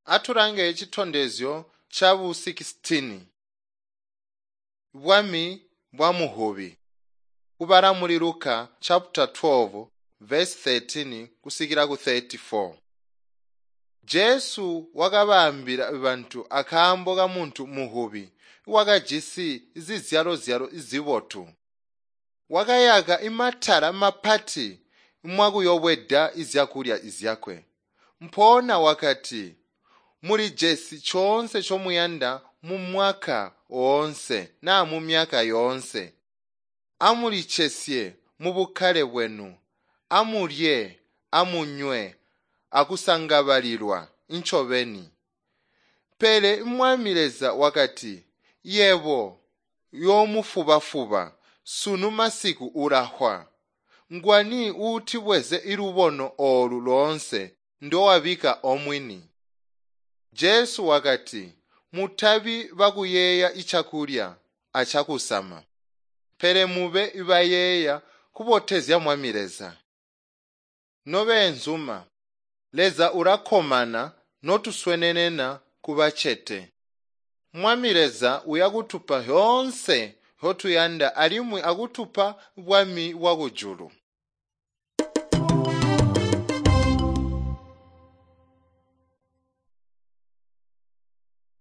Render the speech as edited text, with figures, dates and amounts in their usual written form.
Atulange citondezyo cabu 16. Bwami bwa muhubi. Kubala muli Luka chapter 12 verse 13 kusikila ku 34. Jesu wakabaambila bantu akaambo kamuntu muhubi wakajisi zizyalo-zyalo zibotu. Wakayaka imatala mapati mwakuyobweda zyakulya zyakwe. Mpoona wakati, mulijesi coonse comuyanda mumwaka woonse naa mumyaka yoonse. Amulicesye mubukkale bwenu, amulye, amunywe, akusangabalilwa ncobeni. Pele Mwami Leza wakati, yebo yoomufuba-fuba, sunu masiku ulafwa. Ngwani uutibweze ilubono oolu loonse ndowabika omwini? Jesu wakati, mutabi bakuyeeya icakulya acakusama, pele mube bayeeya kubotezya Mwami Leza. Nobeenzuma, Leza ulakkomana notuswenenena kubacete. Mwami Leza uyakutupa zyoonse nzyotuyanda alimwi akutupa bwami bwakujulu.